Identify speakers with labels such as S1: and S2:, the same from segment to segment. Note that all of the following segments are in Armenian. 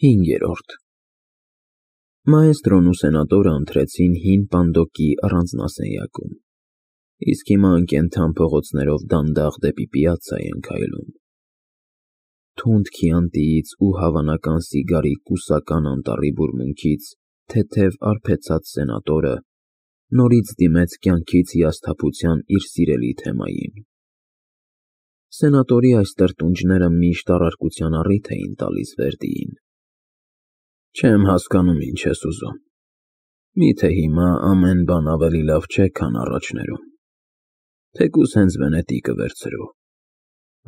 S1: 5-րդ Մաեստրոն ու սենատորը ընթրեցին հին պանդոկի առանձնասենյակում, իսկ հիմա անկենդան փողոցներով դանդաղ դեպի պիացցա էին քայլում։ Թունդ քիանտիից ու հավանական սիգարի կուսական անտառի բուրմունքից թեթև արբեցած սենատորը նորից դիմեց կյանքից հիասթափության իր սիրելի թեմային։ Սենատորի այս տրտունջները միշտ առարկության առիթ էին տալիս Վերդիին։ Չեմ հասկանում, ինչ ես ուզում։ Միթե հիմա ամեն բան ավելի լավ չէ, քան առաջներում։ Թեկուզ հենց Վենետիկը վերցրու։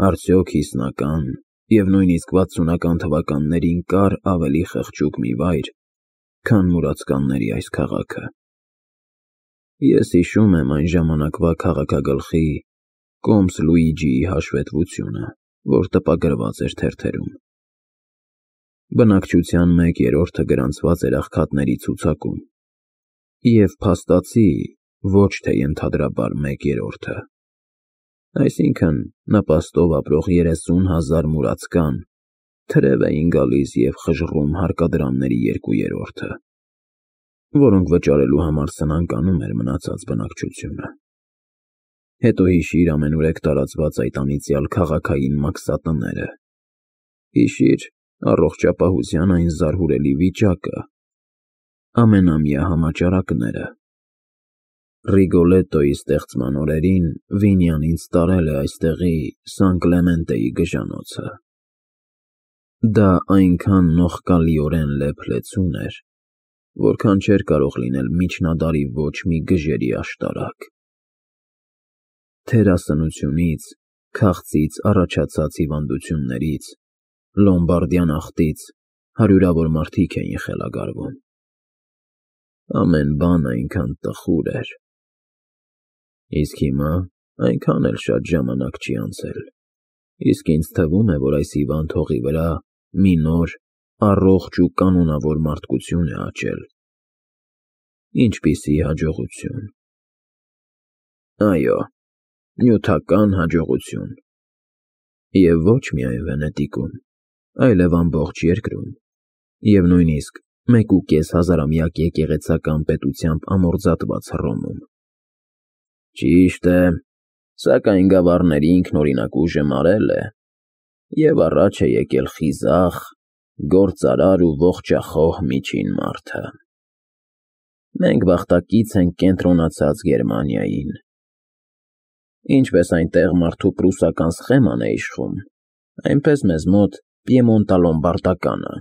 S1: Արդյոք 50-ական և նույնիսկ 60-ական թվականներին կար ավելի խղճուկ մի վայր, քան մուրացկանների այս քաղաքը։ Ես հիշում եմ այն ժամանակվա քաղաքագլխի Կոմս Լուիջիի հաշվետվությունը, որ տպագրված էր թերթերում։ Բնակչության 1/3-ը գրանցված էր աղքատների ցուցակում, և փաստացի ոչ թե ենթադրաբար 1/3-ը, այսինքն նպաստով ապրող 30,000 մուրացկան թրև էին գալիս և խժռում հարկադրամների 2/3-ը, որոնք վճարելու համար սնանկ անում էր մնացած բնակչությունը։ Հետո հիշիր ամենուրեք տարածված այդ անիծյալ քաղաքային մաքսատները։ Հիշիր առողջապահության այն զարհուրելի վիճակը, ամենամյա համաճարակները։ Ռիգոլետոյի ստեղծման օրերին Վինյան ինձ տարել է այստեղի Սան Կլեմենտեի գժանոցը։ Դա այնքան նողկալիորեն լեփ-լեցուն էր, որքան չէր կարող լինել միջնադարի ոչ մի գժերի աշտարակ։ Թերասնությունից, քաղցից առաջացած հիվանդություններից, լոմբարդյան աղտից հարյուրավոր մարդիկ էին խելագարվում։ Ամեն բան այնքան տխուր էր։ Իսկ հիմա այնքան էլ շատ ժամանակ չի անցել, իսկ ինձ թվում է, որ այս հիվանդ հողի վրա մի նոր, առողջ ու կանոնավոր մարդկություն է աճել։ Ինչպիսի հաջողություն։ Այո, նյութական հաջողություն։ Եվ ոչ միայն Վենետիկում, այլև ամբողջ երկրում, և նույնիսկ 1,5 հազարամյակ եկեղեցական պետությամբ ամորձատված Հռոմում։ Ճիշտ է, սակայն գավառների ինքնօրինակ ուժը մարել է, և առաջ է եկել խիզախ, գործարար ու ողջախոհ միջին մարդը։ Մենք բախտակից ենք կենտրոնացած Գերմանիային։ Ինչպես այնտեղ մարդու պրուսական սխեման է իշխում, այնպես մեզ մոտ պիեմոնտալոմբարդականը։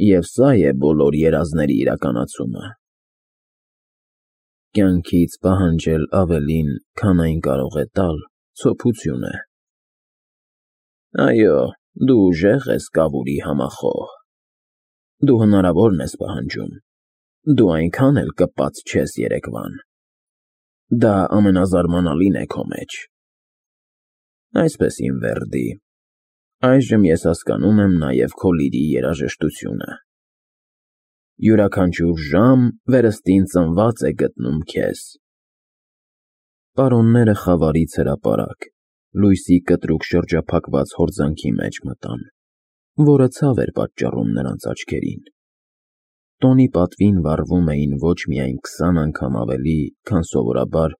S1: Եվ սա է բոլոր երազների իրականացումը։ Կյանքից պահանջել ավելին, քան այն կարող է տալ, ցոփություն է։ Այո, դու ուժեղ ես, կավուրի համախոհ։ Դու հնարավորն ես պահանջում, դու այնքան էլ կպած չես երեկվան։ Դա ամենազարմանալին է քո մեջ։ Այսպես, իմ Վերդի, այժմ ես հասկանում եմ նաև քո լիրի երաժշտությունը։ Յուրաքանչյուր ժամ վերստին ծնված է գտնում քեզ։ Պարոնները խավարից հրապարակ, լույսի կտրուկ շրջափակված հորձանքի մեջ մտան, որը ցավ էր պատճառում նրանց աչքերին։ Տոնի պատվին վառվում էին ոչ միայն 20 անգամ ավելի, քան սովորաբար,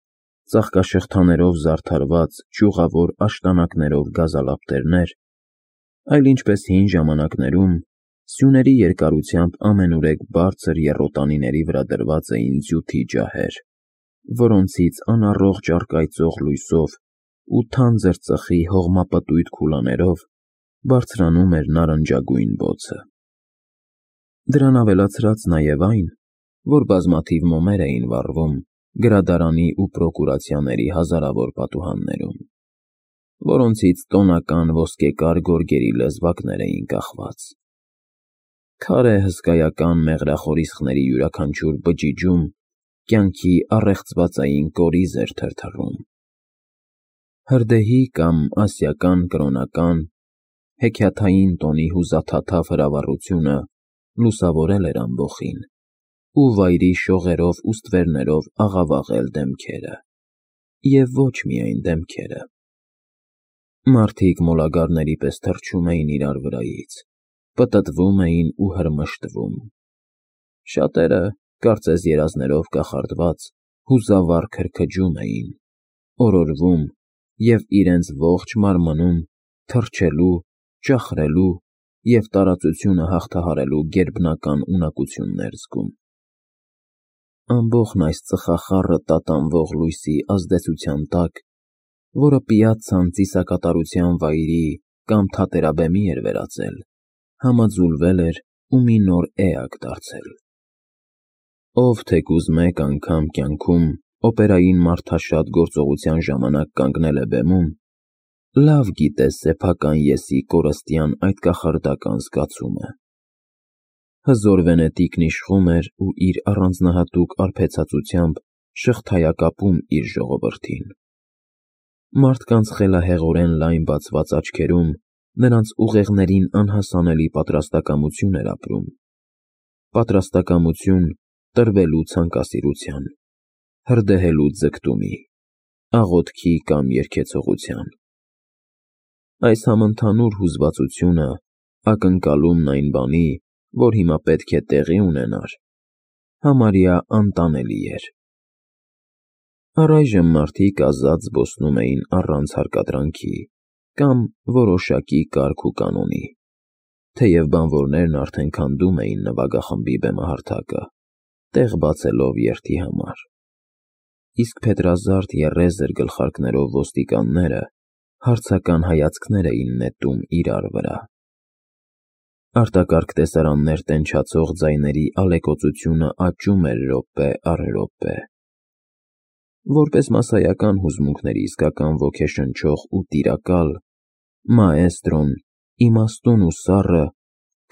S1: ծաղկաշղթաներով զարդարված ճյուղավոր աշտանակներով գազալապտերներ, այլ ինչպես հին ժամանակներում, սյուների երկարությամբ ամենուրեք բարձր եռոտանիների վրա դրված էին ձյութի ջահեր, որոնցից անառողջ առկայծող լույսով ու թանձր ծխի հողմապտույտ քուլաներով բարձրանում էր նարնջագույն բոցը։ Դրան ավելացրած նաև այն, որ բազմաթիվ մոմեր էին վառվում գրադարանի ու պրոկուրացիաների հազարավոր պատուհաններում, որոնցից տոնական ոսկեկար գորգերի լեզվակներ էին կախված։ Քարե հսկայական մեղրախորիսխների յուրաքանչյուր բջիջում կյանքի առեղծվածային կորիզ էր թրթռում։ Հրդեհի կամ ասիական կրոնական, հեքիաթային տոնի հուզաթաթավ հրավառությունը լուսավորել էր ամբոխին ու վայրի շողերով ու ստվերներով աղավաղել դեմքերը։ Եվ ոչ միայն դեմքերը։ Մարդիկ մոլագարների պես թռչում էին իրար վրայից, պտտվում էին ու հրմշտվում։ Շատերը, կարծես երազներով կախարդված, հուզավառ քրքջում էին, օրորվում և իրենց ողջ մարմնում թռչելու, ճախրելու և տարածությունը հաղթահարելու գերբնական ունակություններ զգում։ Ամբոխն այս ծխախառը տատանվող լույսի ազդեցության տակ, որը պիացցան ծիսակատարության վայրի կամ թատերաբեմի էր վերածել, համաձուլվել էր ու մի նոր էակ դարձել։ Ով թեկուզ մեկ անգամ կյանքում օպերային մարդաշատ գործողության ժամանակ կանգնել է բեմում, լավ գիտե սեփական ես-ի կորստյան այդ կախարդական զգացումը։ Հզոր վենետիկն իշխում էր ու իր առանձնահատուկ արբեցածությամբ շղթայակապում իր ժողովրդին։ Մարդկանց խելահեղորեն լայն բացված աչքերում նրանց ուղեղներին անհասանելի պատրաստակամություն էր ապրում։ Պատրաստակամություն տրվելու ցանկասիրության, հրդեհելու ձգտումի, աղոթքի կամ երգեցողության։ Այս համընդհանուր հուզվածությունը, ակնկալումն այն բանի, որ հիմա պետք է տեղի ունենար, համարյա անտանելի էր։ Առայժմ մարդիկ ազատ զբոսնում էին առանց հարկադրանքի կամ որոշակի կարգ ու կանոնի, թեև բանվորներն արդեն քանդում էին նվագախմբի բեմահարթակը, տեղ բացելով երթի համար։ Իսկ փետրազարդ եռեզր գլխարկներով ոստիկանները հարցական հայացքներ էին նետում իրար վրա։ Արտակարգ տեսարաններ տենչացող ձայների ալեկոծությունը աճում էր րոպե առ րոպե։ Որպես մասսայական հուզմունքների իսկական ոգեշնչող ու տիրակալ, մաեստրոն, իմաստուն ու սառը,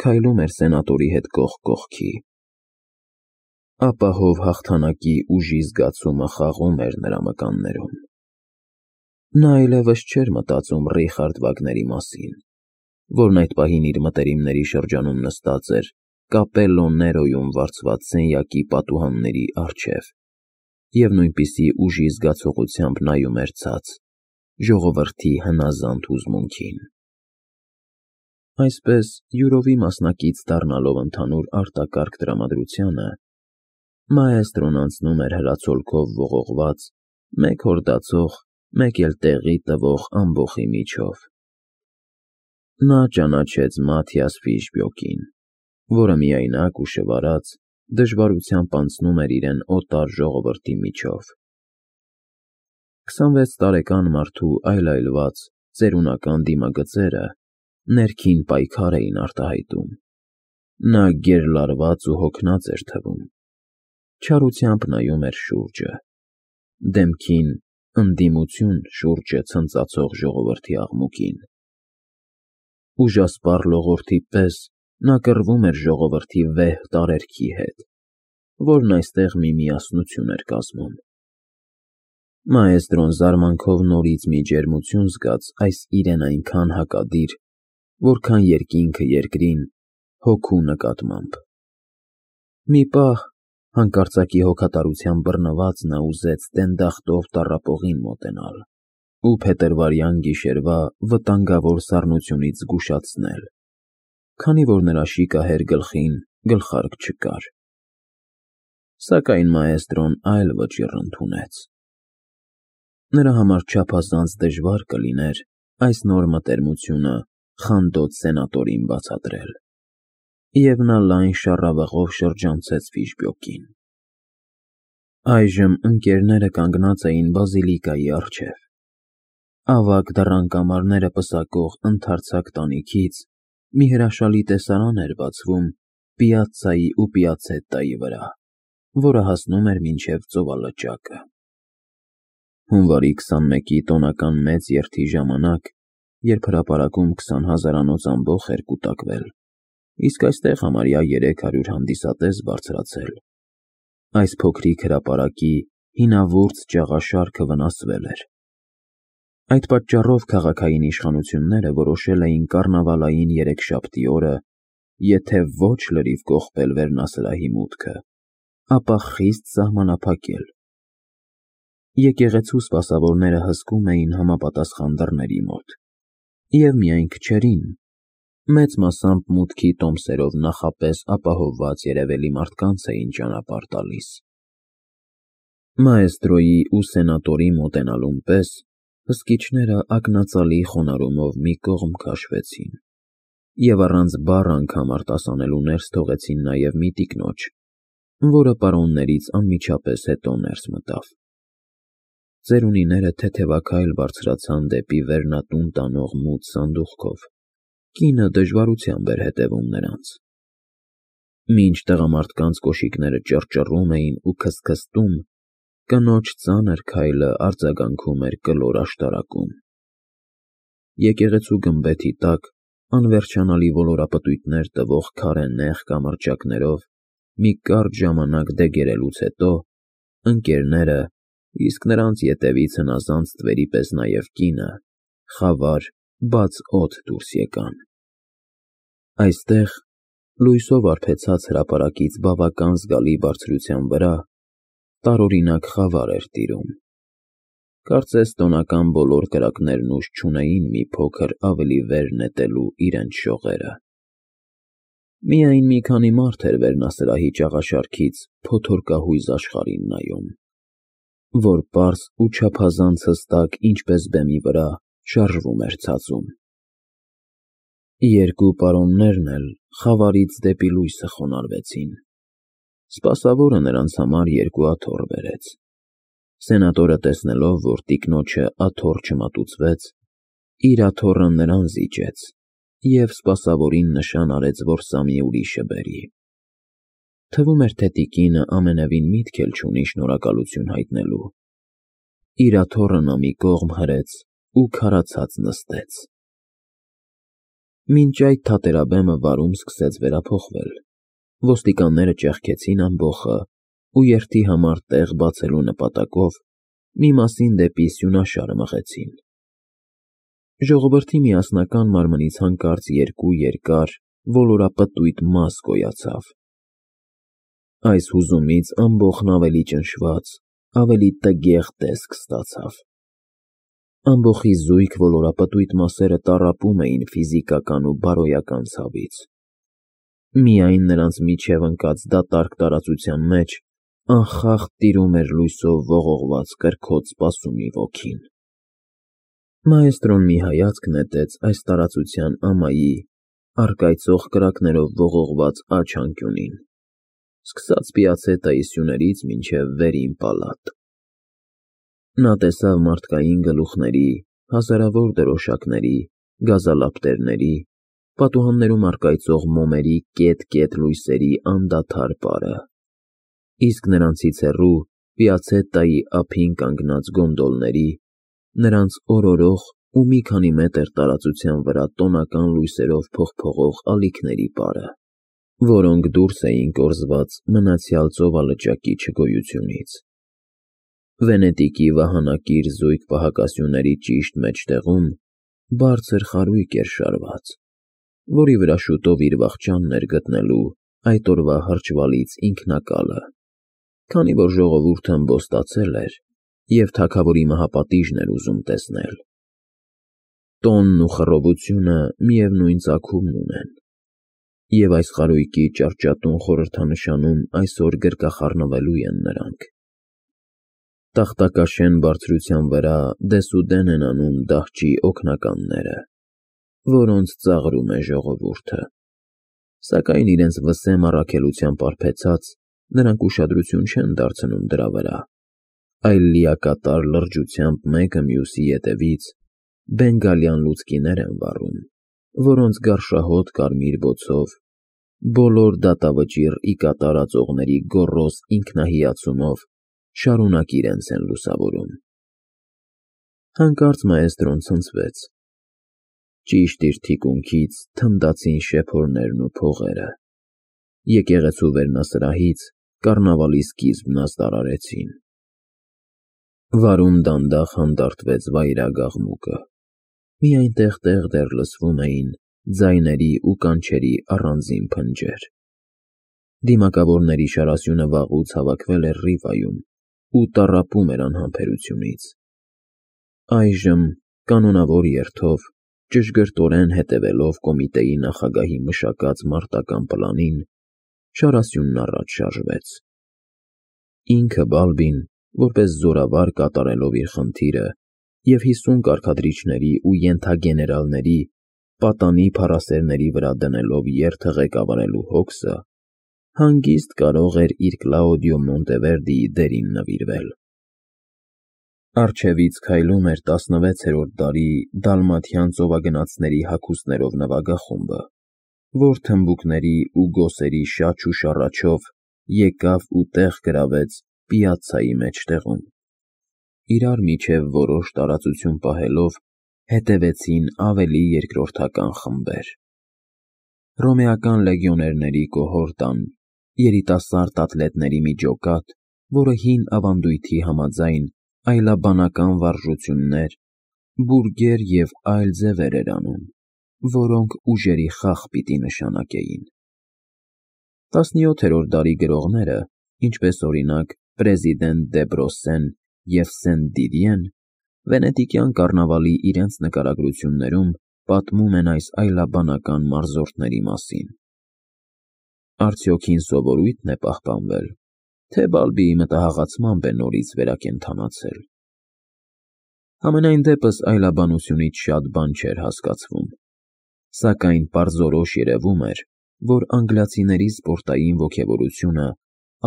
S1: քայլում էր սենատորի հետ կողք կողքի։ Ապահով հաղթանակի ուժի զգացումը խաղում էր նրա մկաններում։ Նա այլևս չէր մտածում Ռիխարդ Վագների մասին, որն այդ պահին իր մտերիմների շրջանում նստած էր Կապելլո Ներոյում վարձված սենյակի պատուհանների առջև և նույնպիսի ուժի զգացողությամբ նայում էր ցած, ժողովրդի հնազանդ հուզմունքին։ Այսպես, յուրովի մասնակից դառնալով ընդհանուր արտակարգ տրամադրությանը, մաեստրոն անցնում էր հրացոլքով ողողված, մեկ հորդացող, մեկ էլ տեղի տվող ամբոխի միջով։ Նա ճանաչեց Մաթիաս Ֆիշբյոկին, որը միայնակ ու շվարած դժվարությամբ անցնում էր իրեն օտար ժողովրդի միջով։ 26 տարեկան մարդու այլայլված, ծերունական դիմագծերը ներքին պայքար էին արտահայտում։ Նա գերլարված ու հոգնած էր թվում։ Չարությամբ նայում էր շուրջը, դեմքին ընդդիմություն շուրջը ցնծացող ժողովրդի աղմուկին։ Ուժասպառ լողորդի պես նա կռվում էր ժողովրդի վեհ տարերքի հետ, որն այստեղ մի միասնություն էր կազմում։ Մաեստրոն զարմանքով նորից մի ջերմություն զգաց այս իրեն այնքան հակադիր, որքան երկինքը երկրին, հոգու նկատմամբ։ Մի պահ, հանկարծակի հոգատարության բռնված, նա ուզեց տենդախտով տառապողին մոտենալ ու փետրվարյան գիշերվա վտանգավոր սառնությունից զգուշացնել, քանի որ նրա շիկահեր գլխին գլխարկ չկար։ Սակայն մաեստրոն այլ վճիռ ընդունեց։ Նրա համար չափազանց դժվար կլիներ այս նոր մտերմությունը խանդոտ սենատորին բացատրել, և նա լայն շառավղով շրջանցեց Ֆիշբյոկին։ Այժմ ընկերները կանգնած էին բազիլիկայի առջև։ Ավագ դռան-կամարները պսակող ընդարձակ տանիքից մի հրաշալի տեսարան էր բացվում Պիացցայի ու Պիացետտայի վրա, որը հասնում էր մինչև ծովալճակը։ Հունվարի 21-ի տոնական մեծ երթի ժամանակ, երբ հրապարակում 20,000-անոց ամբոխ էր կուտակվել, իսկ այստեղ համարյա 300 հանդիսատես բարձրացել, այս փոքրիկ հրապարակի հինավուրց ճաղաշարքը վնասվել էր։ Այդ պատճառով քաղաքային իշխանությունները որոշել էին կառնավալային երեքշաբթի օրը, եթե ոչ լրիվ կողպել վերնասրահի մուտքը, ապա խիստ սահմանափակել։ Եկեղեցու սպասավորները հսկում էին համապատասխան դռների մոտ, և միայն քչերին, մեծ մասամբ մուտքի տոմսերով նախապես ապահովված երևելի մարդկանց էին ճանապարհ տալիս։ Մաեստրոյի ու սենատորի մոտենալուն պես հսկիչները ակնածալի խոնարհումով մի կողմ քաշվեցին և առանց բառ անգամ արտասանելու ներս թողեցին նաև մի տիկնոջ, որը պարոններից անմիջապես հետո ներս մտավ։ Ծերունիները թեթևաքայլ բարձրացան դեպի վերնատուն տանող մութ սանդուղքով, կինը դժվարությամբ էր հետևում նրանց։ Մինչ տղամարդկանց կոշիկները ճռճռում էին ու քստքստում, կնոջ ծանր քայլը արձագանքում էր կլոր աշտարակում։ Եկեղեցու գմբեթի տակ անվերջանալի ոլորապտույտներ տվող քարե նեղ կամրջակներով մի կարճ ժամանակ դեգերելուց հետո ընկերները, իսկ նրանց ետևից հնազանդ թվերի պես նաև կինը, խավար, բաց օդ դուրս եկան։ Այստեղ, լույսով արբեցած հրապարակից բավական զգալի բարձրության վրա, տարօրինակ խավար էր տիրում։ Կարծես տոնական բոլոր կրակներն ուժ չունեին մի փոքր ավելի վեր նետելու իրենց շողերը։ Միայն մի քանի մարդ էր վերնասրահի ճաղաշարքից փոթորկահույզ աշխարհին նայում, որ պարզ ու չափազանց հստակ, ինչպես բեմի վրա, շարժվում էր ցածում։ Երկու պարոններն էլ խավարից դեպի լույսը խոնարհվեցին։ Սպասավորը նրանց համար երկու աթոռ բերեց։ Սենատորը տեսնելով, որ տիկնոջը աթոռ չմատուցվեց, իր աթոռը նրան զիջեց և սպասավորին նշան արեց, որ սա մի ուրիշը բերի։ Թվում էր, թե տիկինը ամենևին միտք էլ չունի շնորհակալություն հայտնելու։ Իր աթոռը նա մի կողմ հրեց ու քարացած նստեց։ Մինչ այդ թատերաբեմը վարում սկսեց վերափոխվել։ Ոստիկանները ճեղքեցին ամբոխը ու երթի համար տեղ բացելու նպատակով մի մասին դեպի սյունաշարը մղեցին։ Ժողովրդի միասնական մարմնից հանկարծ երկու երկար, ոլորապտույտ մաս գոյացավ։ Այս հուզումից ամբոխն ավելի ճնշված, ավելի տգեղ տեսք ստացավ։ Ամբոխի զույգ ոլորապտույտ մասերը տառապում էին ֆիզիկական ու բարոյական ցավից։ Միայն նրանց միջև ընկած դատարկ տարածության մեջ անխախտ տիրում էր լույսով ողողված կրքոտ սպասումի ոգին։ Մաեստրոն մի հայացք նետեց այս տարածության ամայի, առկայծող կրակներով ողողված աջ անկյունին, սկսած Պիացետայի սյուներից մինչև վերին պալատ։ Նա տեսավ մարդկային գլուխների, հազարավոր դրոշակների, գազալապտերների, պատուհաններում առկայծող մոմերի կետ-կետ լույսերի անդադար պարը, իսկ նրանցից հեռու Պիացետայի ափին կանգնած գոնդոլների, նրանց օրորող ու մի քանի մետր տարածության վրա տոնական լույսերով փողփողող ալիքների պարը, որոնք դուրս էին կորզված մնացյալ ծովալճակի չգոյությունից։ Վենետիկի վահանակիր զույգ պահակասյուների ճիշտ մեջտեղում բարձր խարույկ էր շարված, որի վրա շուտով իր վախճանն էր գտնելու այդ օրվա հրճվալից ինքնակալը, քանի որ ժողովուրդը ըմբոստացել էր և թագավորի մահապատիժն էր ուզում տեսնել։ Տոնն ու խռովությունը միևնույն ծագումն ունեն, և այս խարույկի ճարճատուն խորհրդանշանում այսօր գրկախառնվելու են նրանք։ Տախտակաշեն բարձրության վրա դեսուդեն են անում դահճի օգնականները, որոնց ծաղրում է ժողովուրդը։ Սակայն իրենց վսեմ առաքելությամբ արբեցած, նրանք ուշադրություն չեն դարձնում դրա վրա, այլ լիակատար լրջությամբ մեկը մյուսի ետևից բենգալյան լուցկիներ են վառում, որոնց գարշահոտ կարմիր բոցով բոլոր դատավճիռ ի կատարածողների գոռոզ ինքնահիացումով շարունակ իրենց են լուսավորում։ Հանկարծ մաեստրոն ցնցվեց։ Ճիշտ իր թիկունքից թնդացին շեփորներն ու փողերը։ Եկեղեցու վերնասրահից կառնավալի սկիզբն ազդարարեցին։ Վարում դանդաղ հանդարտվեց վայրագ աղմուկը։ Միայն տեղ-տեղ դեռ լսվում էին ձայների ու կանչերի առանձին փնջեր։ Դիմակավորների շարասյունը վաղուց հավաքվել էր Ռիվայում ու տառապում էր անհամբերությունից։ Այժմ, կանոնավոր երթով, ճշգրտորեն հետևելով կոմիտեի նախագահի մշակած մարտական պլանին, շարասյունն առաջ շարժվեց։ Ինքը Բալբին, որպես զորավար կատարելով իր խնդիրը և 50 կարգադրիչների ու ենթագեներալների պատանի փառասերների վրա դնելով երթը ղեկավարելու հոգսը, հանգիստ կարող էր իր Կլաուդիո Մոնտևերդիի դերին նվիրվել։ Առջևից քայլում էր 16-րդ դարի դալմաթյան ծովագնացների հագուստներով նվագախումբը, որ թմբուկների ու գոսերի շաչ ու շառաչով եկավ ու տեղ գրավեց պիացցայի մեջտեղում։ Իրար միջև որոշ տարածություն պահելով հետևեցին ավելի երկրորդական խմբեր։ Հռոմեական լեգիոներների կոհորտան, երիտասարդ ատլետների մի ջոկատ, որը հին ավանդույթի համաձայն այլաբանական վարժություններ, բուրգեր և այլ ձևեր էր անում, որոնք ուժերի խաղ պիտի նշանակեին։ 17-րդ դարի գրողները, ինչպես օրինակ Պրեզիդենտ Դեբրոսեն և Սեն-Դիդիեն, վենետիկյան կառնավալի իրենց նկարագրություններում պատմում են այս այլաբանական մարզորդների մասին։ Արդյոք հին սովորույթն է պահպանվել, թե Բալբիի մտահաղացմամբ է նորից վերակենդանացել։ Համենայն դեպս այլաբանությունից շատ բան չէր հասկացվում, սակայն պարզորոշ երևում էր, որ անգլիացիների սպորտային ոգևորությունը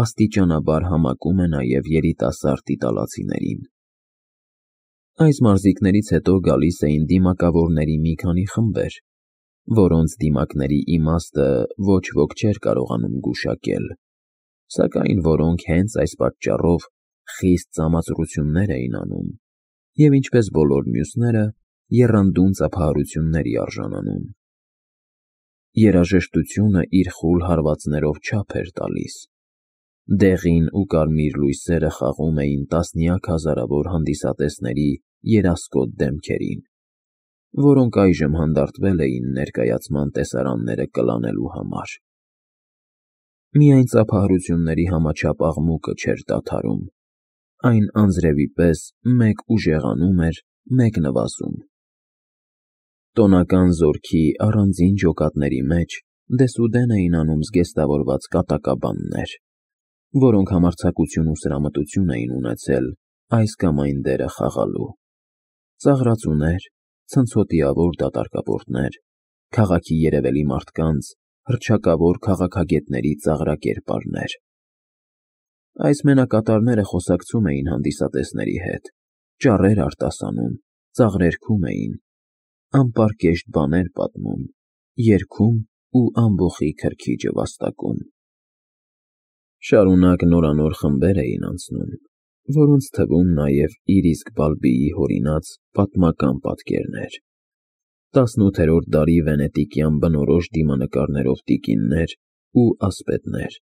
S1: աստիճանաբար համակում է նաև երիտասարդ իտալացիներին։ Այս մարզիկներից հետո գալիս էին դիմակավորների մի քանի խմբեր, որոնց դիմակների իմաստը ոչ ոք չէր կարողանում գուշակել, սակայն որոնք հենց այս պատճառով խիստ ծամացրություններ էին անում և, ինչպես բոլոր մյուսները, եռանդուն ծափահարությունների արժանանում։ Երաժշտությունը իր խուլ հարվածներով չափ էր տալիս։ Դեղին ու կարմիր լույսերը խաղում էին տասնյակ հազարավոր հանդիսատեսների երասկոտ դեմքերին, որոնք այժմ հանդարտվել էին ներկայացման տեսարանները կլանելու համար։ Միայն ծափահարությունների համաչափ աղմուկը չէր դադարում, այն անձրևի պես մեկ ուժեղանում էր, մեկ նվազում։ Տոնական զորքի առանձին ջոկատների մեջ դեսուդեն էին անում զգեստավորված կատակաբաններ, որոնք համարձակություն ու սրամտություն էին ունեցել այս կամ այն դերը խաղալու։ Ծաղրածուներ, ցնցոտիավոր դատարկապորտներ, քաղաքի երևելի մարդկանց, հռչակավոր քաղաքագետների ծաղրակերպարներ։ Այս մենակատարները խոսակցում էին հանդիսատեսների հետ, ճառեր արտասանում, ծաղրերգում էին, անպարկեշտ բաներ պատմում, երգում ու ամբոխի քրքիջը վաստակում։ Շարունակ նորանոր խմբեր էին անցնում, որոնց թվում նաև իր իսկ Բալբիի հորինած պատմական պատկերներ, 18-րդ դարի վենետիկյան բնորոշ դիմանկարներով տիկիններ ու ասպետներ,